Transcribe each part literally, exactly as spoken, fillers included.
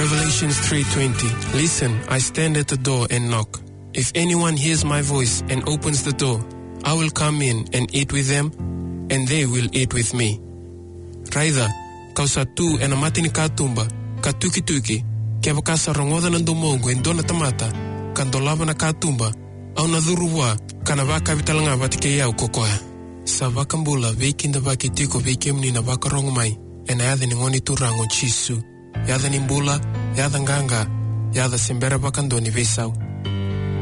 Revelations three twenty. "Listen, I stand at the door and knock. If anyone hears my voice and opens the door, I will come in and eat with them, and they will eat with me." Raica, kau sa tu ena mata ni katuba, ka tukituki, kevaka sa rogoca na domoqu e dua na tamata, ka dolava na katuba, au na curu vua, ka na vakavi tale ga vata kei au ko koya. Sa vakabula, veikidavaki tiko vei kemuni na vakarogo mai, ena yaca ni Gone Turaga o Jisu. Yaca ni bula, yaca qaqa, yaca se bera vakadua ni veisau.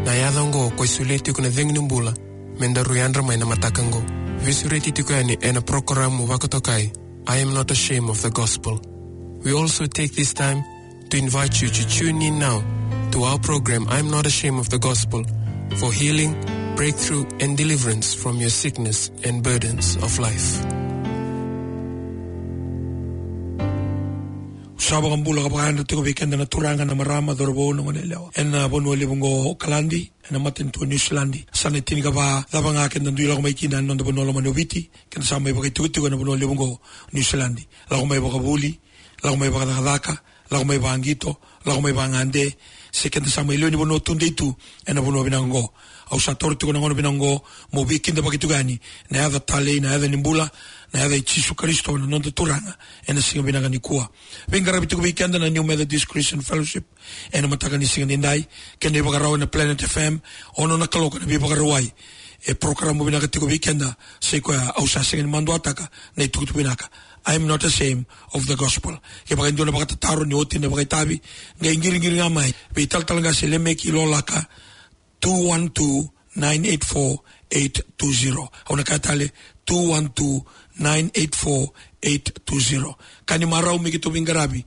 Na yaca oqo, koya e solia tiko na cegu ni bula, me daru yadra mai na mataka oqo. Veisureti tiko yani ena porokaramu vakatokai, I Am Not Ashamed of the Gospel. We also take this time to invite you to tune in now to our program, I Am Not Ashamed of the Gospel, for healing, breakthrough, and deliverance from your sickness and burdens of life. Sa vakabula ka vakayadra tiko vei keda na turaga, na marama, cauravou, na goneyalewa ena vanua levu oqo o Okaladi, ena matanitu o Niusiladi. Sa na tinikava, cava ga keda dui lako mai kina ena noda vanua lomani o Viti, keda sa mai vakaitikotiko ena vanua levu oqo o Niusiladi. Lako mai vakavuli, lako mai vakacakacaka, lako mai vaqito, lako mai vagade, se keda sa mai lewe ni vanua tudei tu ena vanua vinaka oqo. Au sa taura tiko na gauna vinaka oqo meu veikidavaki tiko yani na yaca talei, na yaca ni bula, na yaca i Jisu Karisito na noda Turaga, ena siga vinaka nikua. Veiqaravi tiko vei keda na New Methodist Christian Fellowship ena mataka ni siga nidai, kei na ivakarau ena Planet F M, ono na kaloko na veivakarauwai. E porokaramu vinaka tiko vei keda, sa i koya au sa sega ni maduataka na itukutuku vinaka. I Am Not Ashamed of the Gospel. Kevaka e dua na vakatataro ni oti na vakaitavi, qai qiriqiri ga mai vei talatala qase Lemeki Lolaka, two one two, nine eight four, eight two zero. Au na kaya tale, two one two, nine eight four, eight two zero. Ka ni marau me keitou veiqaravi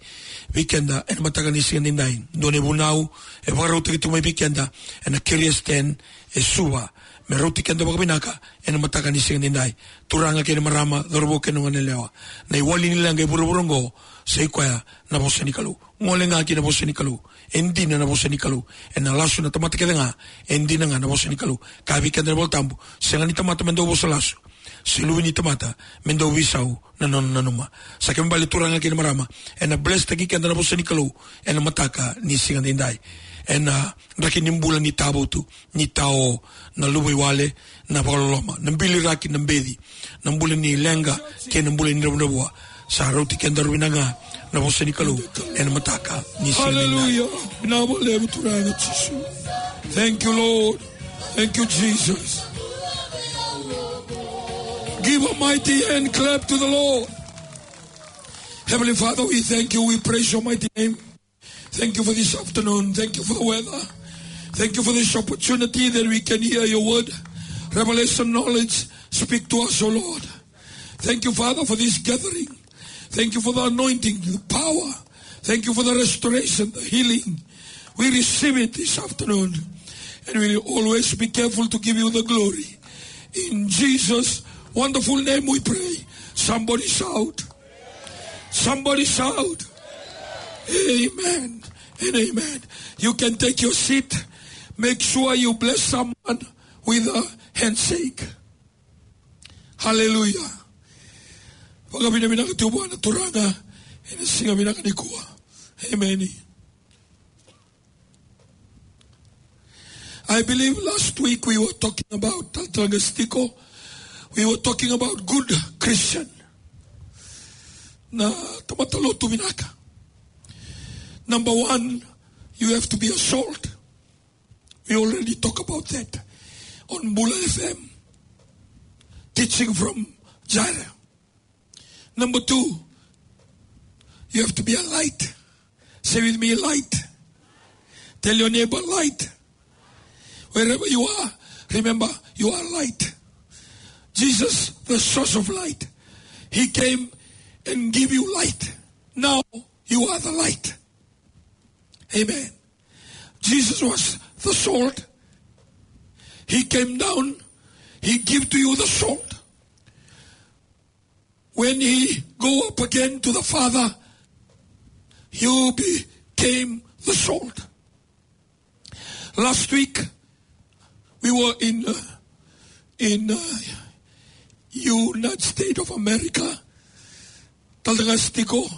vei keda ena mataka ni siga nidai. Dua na ivunau e vakarautaki tu mai vei keda ena Curious Ten e Suva, me rauti keda vakavinaka ena mataka ni siga nidai. Turaga kei na marama, cauravou kei na goneyalewa, na iwali ni leqa e vuravura oqo, sa i koya na vosa ni Kalou. Gole ga ki na vosa ni Kalou. E dina na vosa ni Kalou. Ena lasu na tamata kece ga, e dina ga na vosa ni Kalou. Kaya vei keda na iVolatabu, sega ni tamata me dau vosa lasu, se luve ni tamata me dau veisau na nona nanuma. Sa kena ibalebale, turaga kei na marama, ena blesstaki keda na vosa ni Kalou ena mataka ni siga nidai. Ena draki ni bula ni tavutu, ni tao, na luvaiwale, na vakaloloma, na biliraki, na beci, na bula ni leqa kei na bula ni dravudravua. Sa rauti kedaru vinaka ga na vosa ni Kalou ena mataka ni siga nidai. Hallelujah. Vinaka vakalevu, Turaga Jisu. Thank you, Lord. Thank you, Jesus. Give a mighty hand clap to the Lord. Heavenly Father, we thank you. We praise your mighty name. Thank you for this afternoon. Thank you for the weather. Thank you for this opportunity that we can hear your word. Revelation knowledge, speak to us, O Lord. Thank you, Father, for this gathering. Thank you for the anointing, the power. Thank you for the restoration, the healing. We receive it this afternoon. And we will always be careful to give you the glory. In Jesus' wonderful name we pray. Somebody shout. Somebody shout, "Amen and amen." You can take your seat. Make sure you bless someone with a handshake. Hallelujah. Vakavinavinaka tiko vua na Turaga ena siga vinaka nikua. Amen. I believe last week we were talking about, talatala qase tiko, we were talking about good Christian. Na tamata lotu vinaka. Number one, you have to be a salt. We already talk about that on Bula F M. Teaching from Jireh. Number two, you have to be a light. Say with me, light. Tell your neighbor, light. Wherever you are, remember, you are light. Jesus, the source of light, he came and give you light. Now you are the light. Amen. Jesus was the salt. He came down. He gave to you the salt. When he go up again to the Father, you became the salt. Last week, we were in, uh, in, uh, United States of America. Talatala qase tiko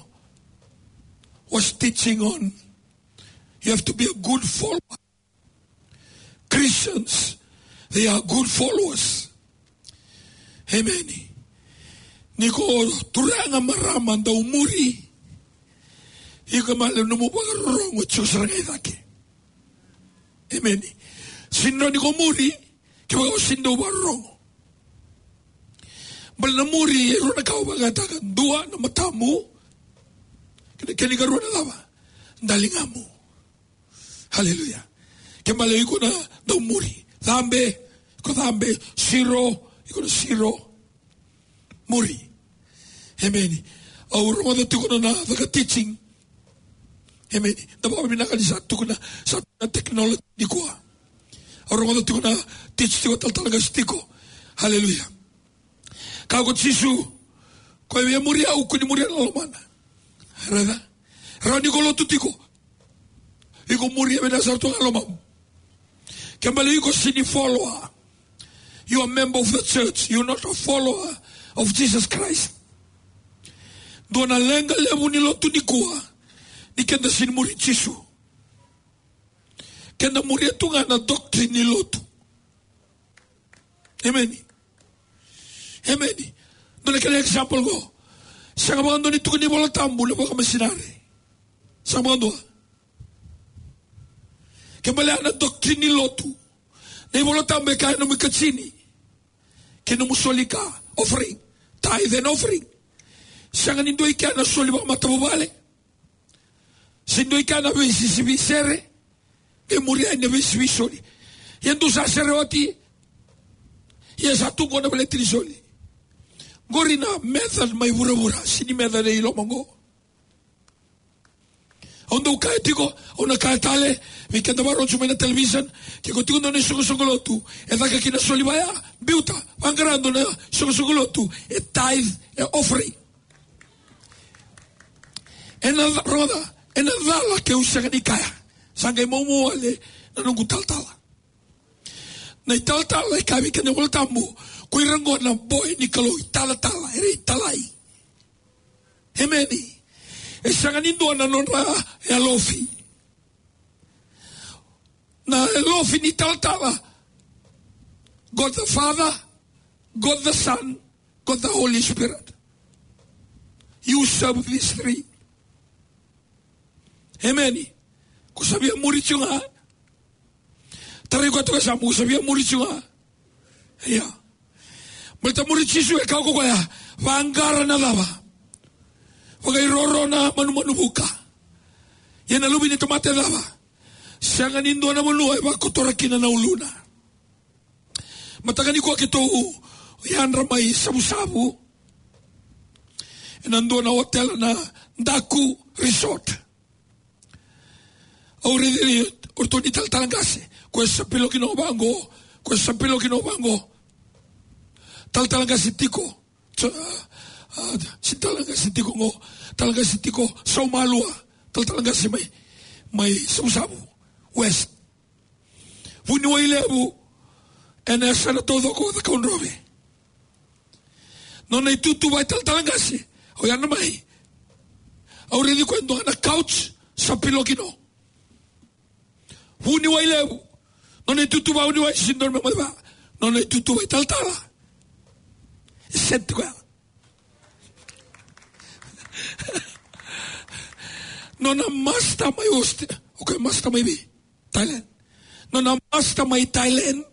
was teaching on You have to be a good follower. Christians, they are good followers. Amen. Ni ko turaga, marama, dau muri, iko male nomu vakarorogo e tiko sara ga i cake. Amen. Sega ni ko muri kevaka o sega ni dau vakarorogo. Baleta na muri e rua na ka au vakayagataka, dua na matamu, kei na, kena ikarua na cava? Daligamu. Haleluya. Ke bale iko na dau muri. Cabe, iko cabe, siro, iko na siro. Muri. Emeni. Au rogoca tiko na caka teaching. Emeni. Da vakavinaka ni sa tukuna, sa tukuna technology nikua. Au rogoca tiko na teach tiko, talatala qase tiko. Haleluya. Kaya ko Jisu, ko e via muri au, kua ni muria na lomana. Raica? Rawa ni ko lotu tiko. Iko muria vei na sara tu ga lomamu. Ke bale iko sega ni follower. You are a member of the church. You are not a follower of Jesus Christ. Dua na leqa levu ni lotu nikua, ni keda sega ni muri Jisu. Keda muria tu ga na doctrine ni lotu. Emeni. Emeni. Dua na kena example qo. Sega vakadua ni tukuni iVola Tabu na vakamisinari. Sega vakadua. Ke bale na doctrine ni lotu. Na iVola Tabu e kaya nomu ikatini kei nomu soli ka, offering. Tithe and offering. Sega ni dua i kea na soli vakamatavuvale. Se dua i kea na veisisivi sere. E muri ai na veisivi soli. Ia dou sa sere oti. Ia sa tu qo na veleti ni soli. Qori na method mai vuravura, sega ni method e i loma qo. Au dau kaya tiko, au na kaya tale, vei keda vakarorogo mai na television, ke ko tiko dua na isoqosoqo lotu e caka kina soli vaya, biuta, vaqara dua na isoqosoqo lotu e tithe, e offering. Ena ca-, rogoca, ena cala keu sega ni kaya. Sa qai maumau wale na noqu talatala. Na italatala e kaya vei keda na iVola Tabu, ko ira qo na boy ni Kalou, italatala, era italai. Emeni. E sega ni dua na nodra yalofi. Na yalofi ni talatala, God the Father, God the Son, God the Holy Spirit. You serve these three. Emeni. Ko sa via muri tu ga. Tarai koya toka sa, ko sa via muri tu ga. Ia. Baleta muri Jisu e kaya ko koya, vaqara na cava? Vakairoro na manumanu vuka. Ia na Luve ni tamata e cava? Sega ni dua na vanua e vakotora kina na uluna. Mataka nikua keitou yadra mai Savusavu ena dua na hotel na Daku Resort. Au raici o ratou na italatala qase, ko e sa pilo kina vaqo, ko e sa pilo kina vaqo. Talatala qase tiko, so, a, a, se talatala qase tiko qo, talatala qase tiko Saumalua, talatala qase mai, mai Savusavu West. Vuniwai Levu, ena yasana taucoko o Cakaudrove. Nona itutu vakaitalatala qase, au yadra mai. Au raici koya e dua na couch, sa pilo kina. Vuniwai Levu, nona itutu vakavuniwai, sega ni dua na me mai va. Nona itutu vakaitalatala. E set koya. Nona master mai Australia. Okay, master mai vei? Thailand. Nona master mai Thailand.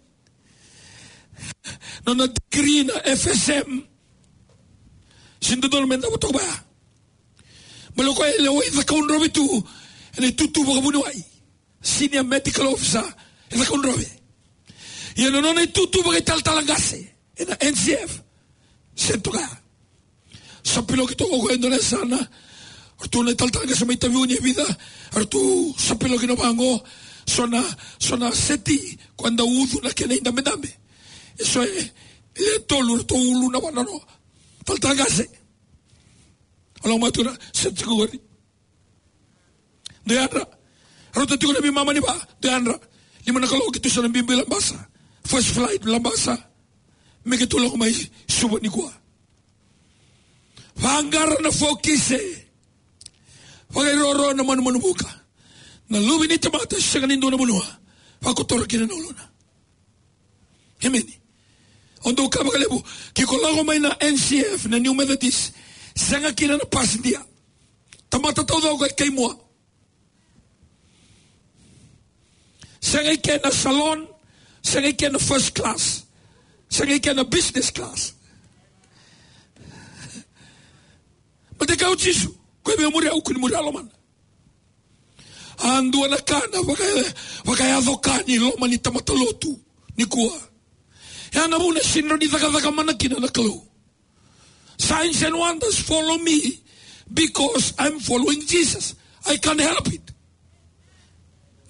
Nona degree na F S M. Sega ni dodonu me davo toka vaya. Baleta o koya e lewai Cakaudrove tu ena itutu vakavuniwai. Senior medical officer e Cakaudrove. Ia na nona itutu vakaitalatala qase ena N C F. Sega ni toka ya. Sa piloki toka o koya e dua na yasana. Ratou na italatala qase mai Taveuni e vica. Ratou sa piloki na vaqo. So na, so na seti ko e dau ucu na kena idabedabe. E so e, e le tolu ratou ulu na vanua. Talatala qase. Au lako mai tu na seti qori. Dou yadra. Rauta tiko na veimama ni va. Dou yadra. Lima na kaloko keitou sa na biubiu Labasa. First flight Labasa. Me keitou lako mai Suva nikua. Vaqara na fokise. Vakairoro na manumanu vuka. Na Luve ni tamata sega ni dua na vanua vakotora kina na uluna. Emeni. O dau kaya vakalevu, ke ko lako mai na N C F, na New Methodist, sega kina na pasidia. Tamata taucoko e kaimua. Sega i ke na salon, sega i ke na first class, sega i ke na business class. Baleta e kaya o Jisu, ko e via muri au, kua ni muri au lomana. A dua na ka na vaka, vakayaco ka ni loma ni tamata lotu nikua. E a na vuna e sega ni cakacaka mana kina na Kalou. Signs and wonders follow me because I'm following Jesus. I can't help it.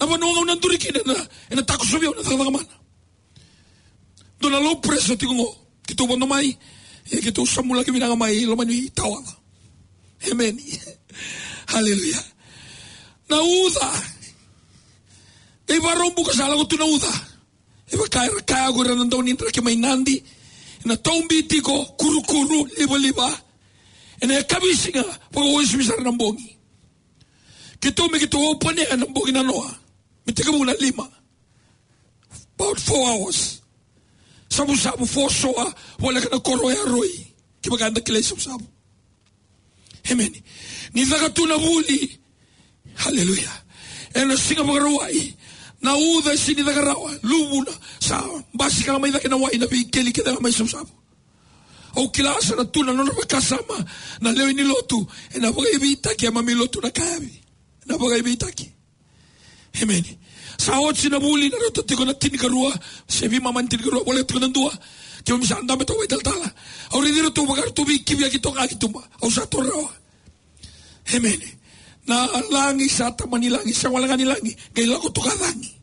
Na vanua ga au na duri kina, ena, ena takosovi au na cakacaka mana. Dua na low pressure tiko qo. Keitou vodo mai, e keitou samulaki vinaka mai loma ni tawaca. Emeni. Haleluya. Na uca. Qai Vakaraubuka sa lako tu na uca. E vaka era kaya ko ira na dau ni draki mai Nadi. Ena taubi tiko, kurukuru, livaliva. Ena yakavi siga, vakauasivi sara na bogi. Keitou me keitou open air na bogi nanoa. Me tekivu na lima. About four hours. Savusavu, four soa, voleka na koro o Yaroi. Kevaka eda kilai Savusavu. Emeni. Ni caka tu na vuli. Haleluya. Ena siga Vakarauwai. Na uca e sega ni caka rawa. Luvuna. Sa basika ga mai cake na wai na veikeli kece ga mai Savusavu. Au kila sa na tu na nodra vakasama na lewe ni lotu. Ena vakaivitaki e mami lotu na kayavi. Ena vakaivitaki. Emeni. Sa oti na vuli, na rauta tiko na tinikarua, se veimama ni tinikarua, voleka tiko na dua. Keimami sa dabe toka vakaitalatala. Au raici iratou vaka ratou veikiviyaki toka ki tuba. Au sa toro rawa. Emeni. Na lagi sa tamani lagi, sa wale ga ni lagi. Qai lako toka cagi.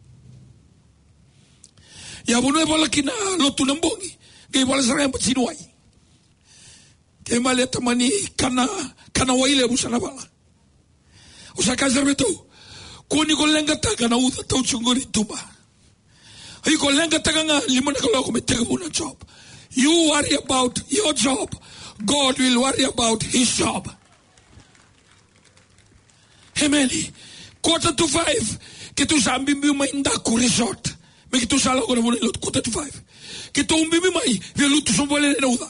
Ia vanua e vala kina lotu na bogi. Qai vala sara ga e bati ni wai. Kei male tamani kana, kana wai levu sa na vala. Au sa kaya sara vei iratou, kua ni ko leqataka na uca tau tiko qori tuba. Iko leqataka ga lima na kaloko me tekivu na job. You worry about your job. God will worry about his job. Emeni. Quarter to five. Keitou sa biubiu mai Daku Resort. Me keitou sa lako na vanua ni lotu quarter to five. Keitou biubiu mai, via lutu sobu vale na uca.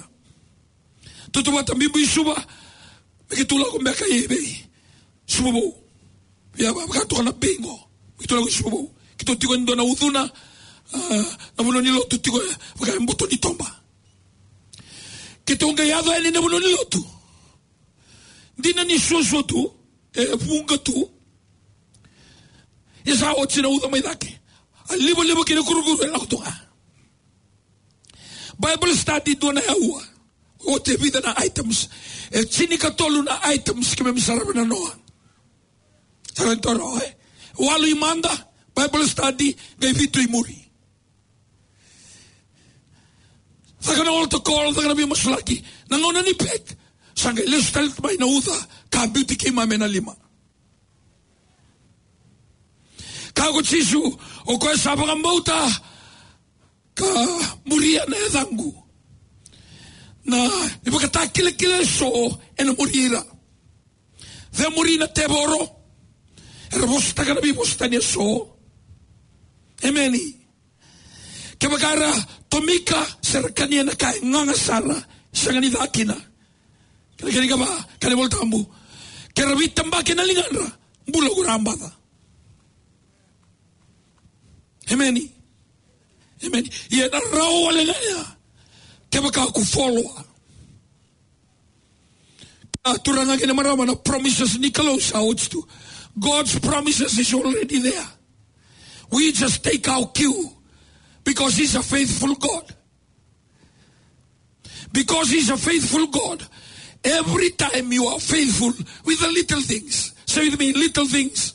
Tautauvata biubiu i Suva, me keitou lako beka i vei Suva Vou. Ia, va, vaka toka na bei qo. Me keitou lako i Suva Vou. Keitou tiko e dua na ucuna, a, na vanua ni lotu tiko e, vaka e boto ni toba. Keitou qai yaco yani na vanua ni lotu. Dina ni suasua tu, e vuqa tu. E sa oti na uca mai cake. A livaliva kei na kurukuru e lako tu ga. Bible study dua na aua. Oti e vica na items. E tinikatolu na items keimami sarava nanoa. Sara ni toro, e? Walu i mada, Bible study, qai vitu i muri. Caka na altar call, caka na veimasulaki. Na gauna ni pek, sa qai lesu tale mai na uca, ka biuti keimami ena lima. Kaya ko Jisu, o koya sa vakabauta, ka muria na yacaqu. Na ivakatakilakila eso ena muri ira. Cemuri na tevoro. Era vosataka na veivosatani eso. Emeni. Kevaka era tomika, se ra kania na ka e gaga sara, sega ni ca kina. Kena, kena ikava, kena iVolatabu. Ke ra veitabaki na ligadra, bula ko ra baca. Emeni. Emeni. Ia na rawa wale ga ya. Kevaka ko follower. A, turaga kei na marama, na promises ni Kalou sa oti tu. God's promises is already there. We just take our cue because he's a faithful God. Because he's a faithful God. Every time you are faithful with the little things. Say with me, little things.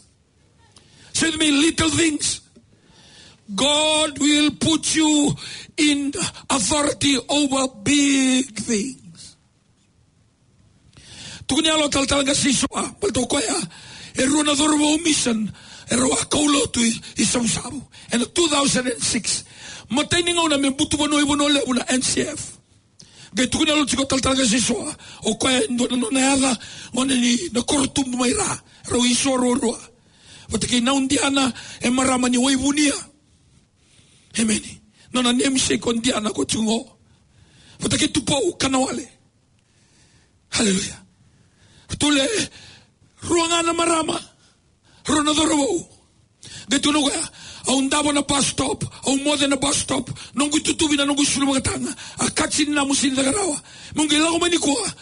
Say with me, little things. God will put you in authority over big things. Tukuni yalo talatala qase Isoa, baleta o koya e rua na cauravou mission, e rau a kaulotu i, i Savusavu. Ena two thousand and six. Matai ni gauna me butu vanua i Vanua Levu na N C F. Qai tukuni yalo tiko talatala qase Isoa, o koya e dua na nona yaca, gone ni na koro tubu mai ra, rau Isoa ruarua. Vata kei Naudiana, e marama ni Waivunia. Emeni. Nona namesake o Diana ko tiko qo. Vata kei Tupou Kanawale. Haleluya. Tukuna, rua ga na marama, rua na cauravou. Qai tukuna o koya, au davo na bus stop, au moce na bus stop, noqu itutuvi na noqu isulu vakataga, a kati ni namu sini caka rawa. Meu qai lako mai nikua,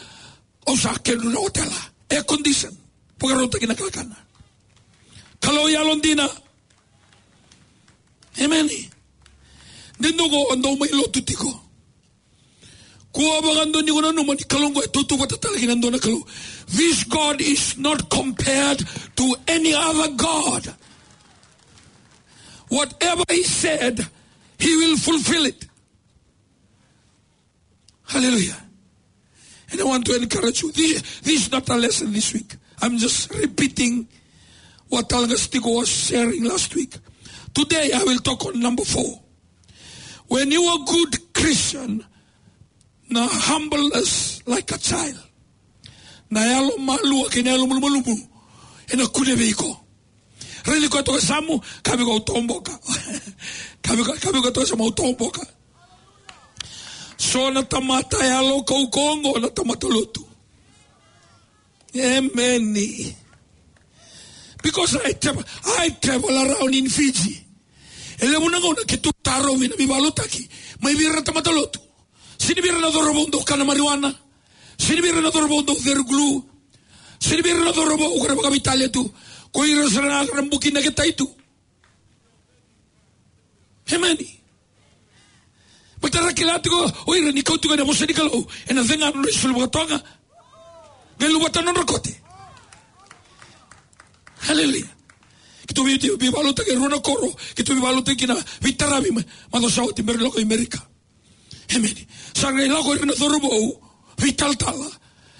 au sa kedru na otela. Air condition. Vakarautaki na kakana. Kalou yalodina. Emeni. De dua qo dau mai lotu tiko. Kua vakadua ni ko nanuma ni Kalou qo e tautauvata tale kei na dua na Kalou. This God is not compared to any other God. Whatever he said, he will fulfill it. Hallelujah. And I want to encourage you. This, this is not a lesson this week. I'm just repeating what Talagastiko was sharing last week. Today I will talk on number four. When you are a good Christian, na humble as like a child. Na yalo malua kei na yalo malumalumu ena kune vei iko. Raici koya toka e yasamu, kaya vei koya au toboka. Kaya vei koya, kaya vei koya toka e yasamu au toboka. So na tamata yalo kaukauwa qo na tamata lotu. Emeni. Because I travel, I travel around in Fiji. E levu na gauna keitou tarovi na veivakalotutaki mai vei ira na tamata lotu. Sega ni vei ira na cauravou dau kana marijuana. Sega ni vei ira na cauravou dau ceru glue. Sega ni vei ira na cauravou ko ira vakaveitalia tu. Ko ira sara ga era buki naketai tu. Emeni. Baleta ra kila tiko o ira ni kau tiko ena vosa ni Kalou, ena cega nodra isulu vakatoga. Qai luvata nodra kote. Haleluya. Keitou vei, veivakalotutaki e rua na koro, keitou veivakalotutaki kina, veitaravi mai, macawa sa oti, me ra lako i Amerika. Emeni. Sa qai lako ira na cauravou veitalatala.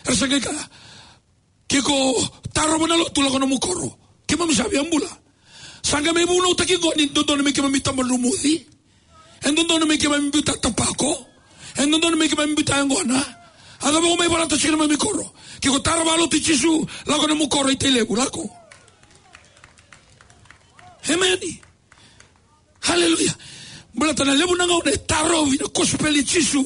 Era sa qai kaya, ke ko tarova na lotu, lako nomu koro. Keimami sa via bula. Sa qai mai vunautaki qo ni dodonu me keimami taba dromuci. E dodonu me keimami biuta tapako. E dodonu me keimami biuta yaqona. A cava ko mai volata tiko ena neimami koro? Ke ko tarova lotu i Jisu, lako nomu koro i Tailevu, lako. Emeni. Haleluya. Baleta na levu na gauna e tarovi na kosipeli i Jisu.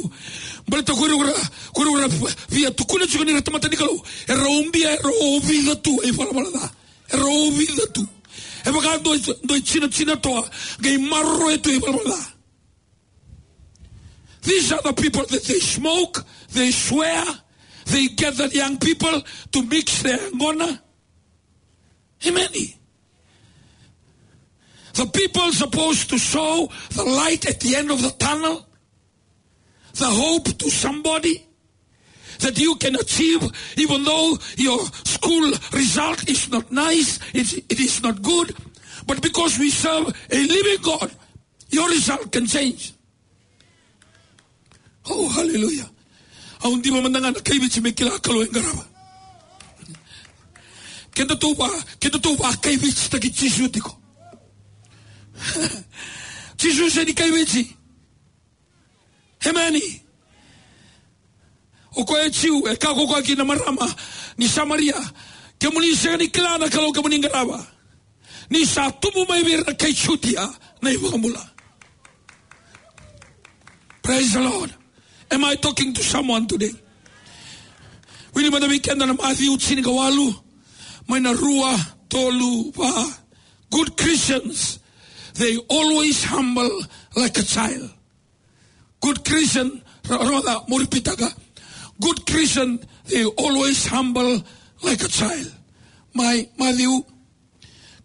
Baleta ko ira, ko ira via tukuna tiko ni ra tamata ni Kalou. Era ubia, era ovica tu e ivalavala ca. Era ovica tu. E vaka dua, dua e jinajina toa, qai maroroya tu e ivalavala ca. These are the people that they smoke, they swear, they gather young people to mix their yaqona. Emeni. The people supposed to show the light at the end of the tunnel, the hope to somebody that you can achieve, even though your school result is not nice, it, it is not good. But because we serve a living God, your result can change. Oh, hallelujah. Au diva mada ga na kai Viti me kila Kalou e qarava. Kedatou va, kedatou vakaivititaki Jisu tiko. Jisu sega ni kai Viti. Emeni. O koya e Jiu, e kaya ko koya kina marama ni Samaria, kemuni sega ni kila na Kalou kemuni qarava. Ni sa tubu mai vei ira na kai Jutia na iVakabula. Praise the Lord. Am I talking to someone today? Wili mada vei keda na Maciu tinikawalu, mai na rua, tolu, va. Good Christians, they always humble like a child. Good Christian, ra-, ra-, ra-, mo ripitaka. Good Christian, they always humble like a child. Mai Maciu,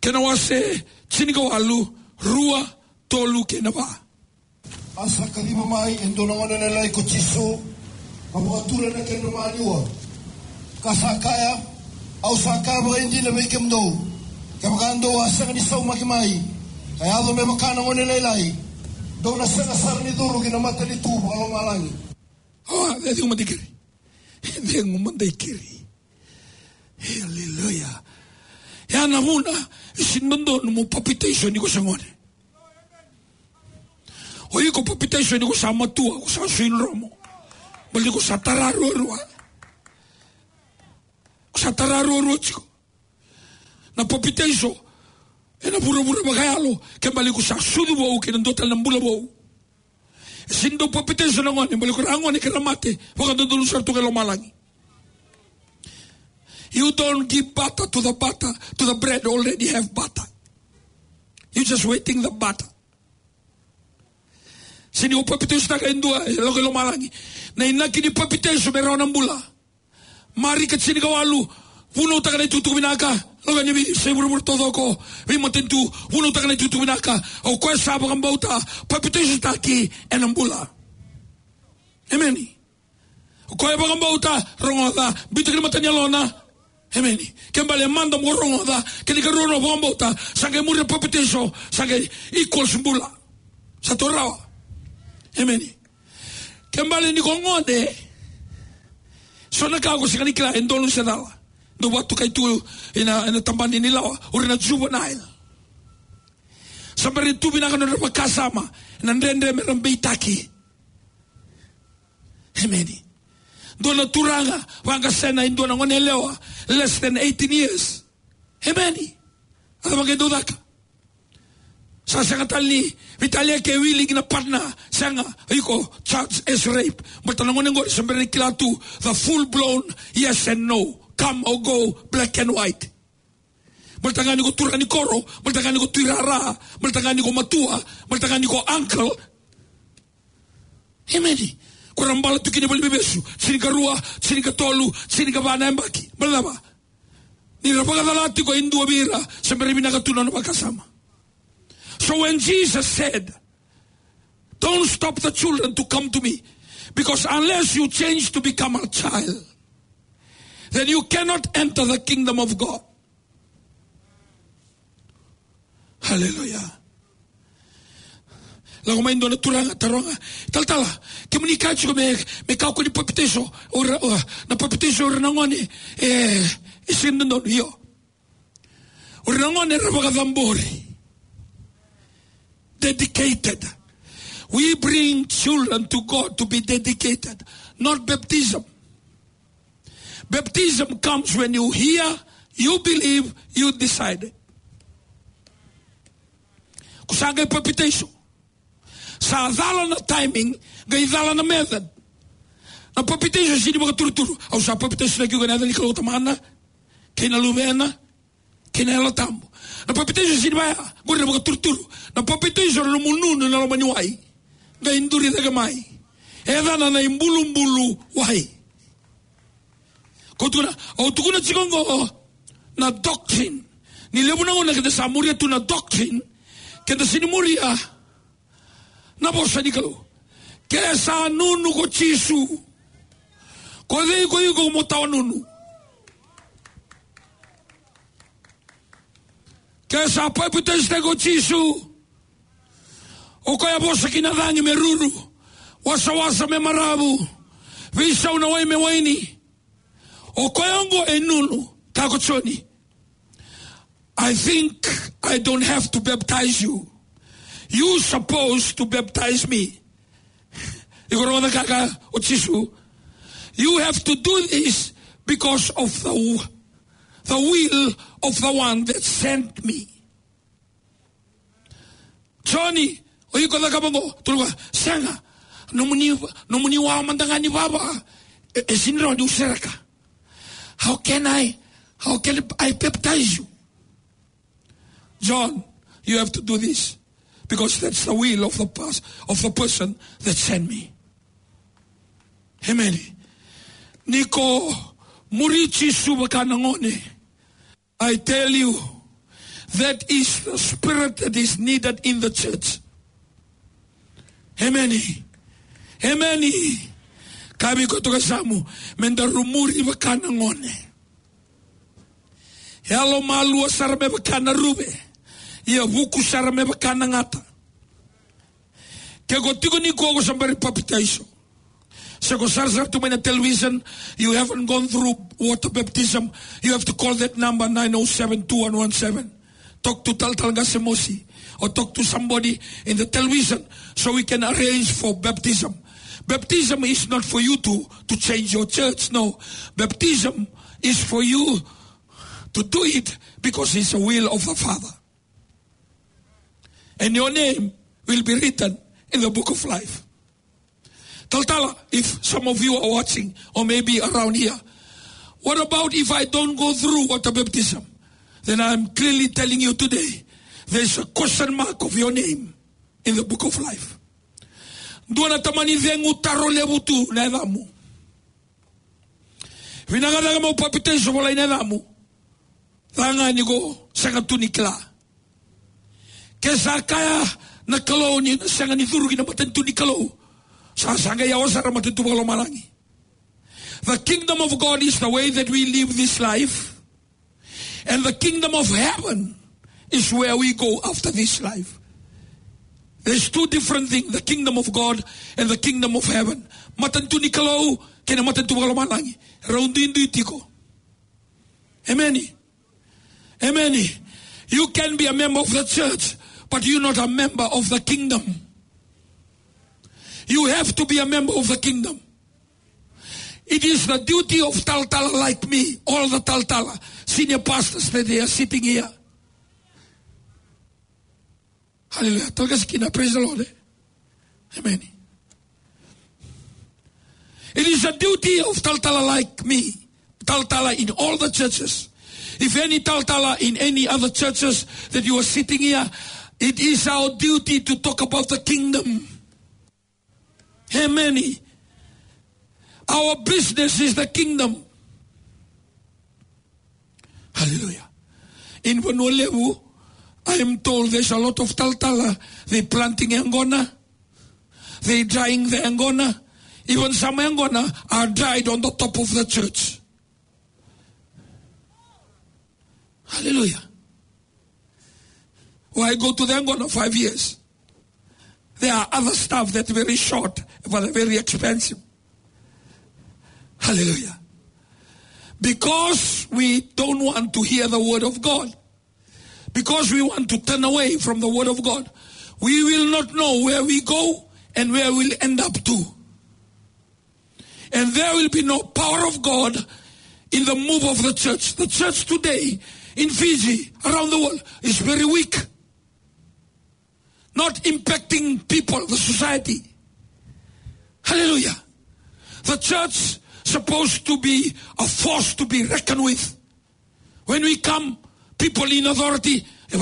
kena wase tinikawalu, rua, tolu kei na va. A sa kaciva mai e dua na gone lailai ko Jisu, ka vakatura ena kedra maniwa. Ka sa kaya, au sa kaya vakaidina vei kemudou, kevaka dou a sega ni saumaki mai ka yaco me vaka na gone lailai, dou na sega sara ni curu ki na matanitu vakalomalagi. O, cegu mada i keri. Cegu mada i keri. Haleluya. Ya na vuna e sega ni dodonu mo papitaiso ni ko sa gone. O iko papitaiso ni ko sa matua, ko sa sui dromo. Baleta ni ko sa tara ruarua. Ko sa tara ruarua tiko. Na papitaiso ena vuravura vakayalo, ke bale ko sa sucu vou kei na dua tale na bula vou. E sega ni dau papitaiso na gone, bale ko ira na gone ke ra mate vakadodonu sara tu ga e lomalagi. You don't give butter to the butter, to the bread already have butter. You just waiting the butter. Sega ni o papitaisotaka e dua e lako i lomalagi. Na inaki ni papitaiso me rawa na bula. Marika tinikawalu, vunautaka na itukutuku vinaka. Lako yani vei, sa i vuravura taucoko, veimatanitu, vunautaka na itukutuku vinaka. O koya sa vakabauta, papitaisotaki, ena bula. Emeni. O koya vakabauta, rogoca, biuta ki na mata ni yalona. Emeni. Ke bale mada mo rogoca, kena ikarua mo vakabauta, sa qai muria papitaiso, sa qai equals bula. Sa tu rawa. Emeni. Ke bale ni ko gone, so na ka ko sega ni kila e donu se cala. Dau vakatokai tu ena, ena tabana ni lawa, o ira na juvenile. Sa bera ni tu vinaka na nodra vakasama, na dredre me ra beitaki. Emeni. Dua na turaga vaqasena e dua na gone yalewa, less than eighteen years. Emeni. A cava qai dau caka? Sa sega tale ni veitalia ke willing na partner, sega, iko charge as rape. Baleta na gone qori sa bera ni kila tu the full blown yes and no, come or go, black and white. Baleta ga ni ko turaga ni koro, baleta ga ni ko tuirara, baleta ga ni ko matua, baleta ga ni ko uncle. Emeni. Ko ra bala tu kina valeniveivesu, tinikarua, tinikatolu, tinikava na yabaki. Baleta cava? Ni ra vakacala tiko e dua vei ira, sa bera vinaka tu na nona vakasama. So when Jesus said, "Don't stop the children to come to me, because unless you change to become a child, then you cannot enter the kingdom of God." Hallelujah. Lako mai dua na turaga, taroga, "Talatala, kemuni kaya tiko me, me kakua ni papitaiso o ira, o, na papitaiso o ira na gone, e, e sega ni dodonu." Io. O ira na gone era vakacabori. Dedicated. We bring children to God to be dedicated, not baptism. Baptism comes when you hear, you believe, you decide. Ko sa qai papitaiso. Sa cala na timing, qai cala na method. Na papitaiso sega ni vakaturuturu. Au sa papitaisotaki iko ena yaca ni Kalou Tamana, kei na Luvena, kei na Yalo Tabu. Na papitaiso sega ni vaya, qori na vakaturuturu. Na papitaiso na nomu nunu ena loma ni wai. Qai duri cake mai. E yacana na ibulubulu wai. Ko tukuna, au tukuna tiko qo na doctrine. Ni levu na gauna keda sa muria tu na doctrine, keda sega ni muria na vosa ni Kalou. Ke sa nunu ko Jisu, ko cei ko iko mo tawa nunu? Ke sa papitaisotaki ko Jisu, o koya vosa ki na cagi me ruru, wasawasa me maravu, veisau na wai me waini. O koya oqo e nunu, kaya ko Joni. I think I don't have to baptize you. You supposed to baptize me. Iko rogoca na ka e kaya o Jisu. You have to do this because of the w-, the will of the one that sent me. Joni, o iko cakava qo, tukuna, sega, nomuni, nomuni wawa mada ga ni vava, e, e sega ni rawa niu sereka. How can I, how can I baptize you? John, you have to do this, because that's the will of the pers-, of the person that sent me. Amen. Ni ko muri Jisu vaka na gone, I tell you, that is the spirit that is needed in the church. Amen. Amen. Kaya vei koya toka yasamu, me daru muri vaka na gone. Yalo malua sara me vaka na ruve. Ia vuku sara me vaka na gata. Ke ko tiko nikua ko sa bera ni papitaiso, se ko sarasara tu mai na television, you haven't gone through water baptism, you have to call that number, nine oh seven two one one seven. Talk to Talatala Qase Mosi, or talk to somebody in the television so we can arrange for baptism. Baptism is not for you to, to change your church, no. Baptism is for you to do it because it's the will of the Father. And your name will be written in the book of life. Talatala, if some of you are watching or maybe around here, what about if I don't go through water baptism? Then I'm clearly telling you today, there's a question mark of your name in the book of life. Dua na tamani cegu, taro levu tu na yacamu. Vinaka cake meu papitaiso, volai na yacamu. Ca ga ni ko sega tu ni kila. Ke sa kaya na Kalou ni na sega ni curu ki na matanitu ni Kalou, sa saga yawa sara matanitu vakalomalagi. The kingdom of God is the way that we live this life. And the kingdom of heaven is where we go after this life. There's two different things, the kingdom of God and the kingdom of heaven. Matanitu ni Kalou kei na matanitu vakalomalagi, rau duidui tiko. Amen. Amen. You can be a member of the church, but you're not a member of the kingdom. You have to be a member of the kingdom. It is the duty of talatala like me, all the talatala, senior pastors that they are sitting here. Hallelujah. Talatala kece kina, praise the Lord, eh? Amen. It is the duty of talatala like me, talatala in all the churches. If any talatala in any other churches that you are sitting here, it is our duty to talk about the kingdom. Amen. Our business is the kingdom. Hallelujah. In Vanua Levu, I am told there's a lot of talatala. They planting yaqona. They drying the yaqona. Even some yaqona are dried on the top of the church. Hallelujah. Why go to the yaqona five years? There are other stuff that very short, but very expensive. Hallelujah. Because we don't want to hear the word of God, because we want to turn away from the word of God, we will not know where we go and where we'll end up to. And there will be no power of God in the move of the church. The church today in Fiji, around the world, is very weak. Not impacting people, the society. Hallelujah. The church supposed to be a force to be reckoned with. When we come, people in authority, e, na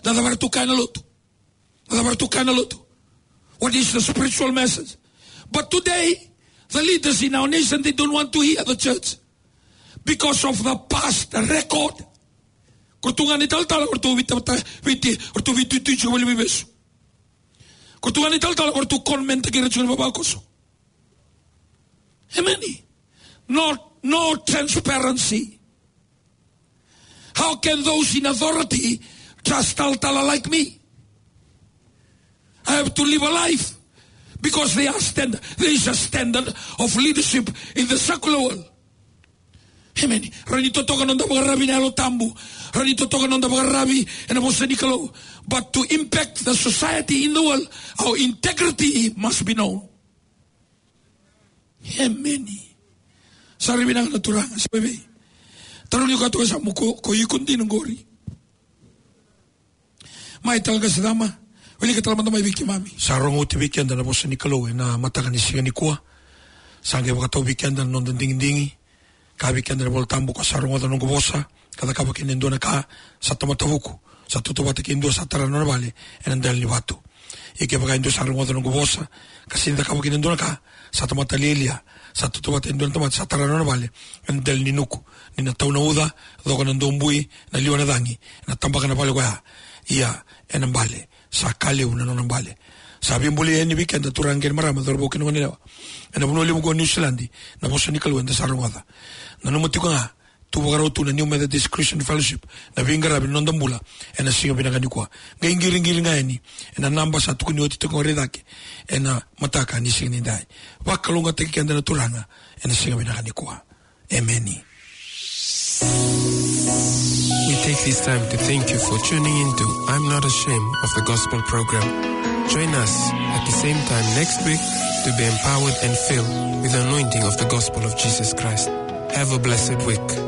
cava era tu kaya na lotu? Na cava era tu kaya na lotu? What is the spiritual message? But today, the leaders in our nation, they don't want to hear the church because of the past record. Ko tu ga ni talatala, ko tu viti, viti, ko tu viti, tu, tu, ko tu ga ni talatala, ko tu comment ki ra tu ni vavakoso. Amen. No, no transparency. How can those in authority trust talatala like me? I have to live a life because they are stand-, there is a standard of leadership in the secular world. Amen. Rawa ni totoka noda vakararavi na Yalo Tabu. Rawa ni totoka noda vakararavi ena vosa ni Kalou. But to impact the society in the world, our integrity must be known. Amen. Sa rui vinaka na Turaga, sa vei. Tarogi koya toka sa mo ko, ko iko dina qori. Mai tale ga sa cama, wilika tale mada mai vei keimami. Sa rogo oti vei keda na vosa ni Kalou ena mataka ni siga nikua. Sa qai vakatau vei keda na noda digidigi. Ka vei keda na iVola Tabu, ko sa rogoca na noqu vosa ka cakava kina e dua na ka, sa tamata vuku, sa tautauvata kei dua sa tara na nona vale ena dela ni vatu. Ia kevaka e dua sa rogoca na noqu vosa ka sega ni cakava kina e dua na ka, sa tamata lialia, sa tautauvata e dua na tamata sa tara na nona vale ena dela ni nuku. Ni na tau na uca, coka na dobui, na liwa na cagi, ena tabaka na vale koya. Ia ena bale, sa ka levu na nona bale. Sa veibolei yani vei keda turaga kei na marama, cauravou kei na goneyalewa, ena vanua levu qo o Niusiladi, na vosa ni Kalou eda sa rogoca. Nanuma tiko ga, tu vakarau tu na New Methodist Christian Fellowship na veiqaravi ni noda bula ena siga vinaka nikua. Qai qiriqiri ga yani ena naba sa tukuni oti tiko qori cake ena mataka ni siga nidai. Vakalougatataki keda na Turaga ena siga vinaka nikua. Emeni. We take this time to thank you for tuning in to I'm Not Ashamed of the Gospel program. Join us at the same time next week to be empowered and filled with the anointing of the gospel of Jesus Christ. Have a blessed week.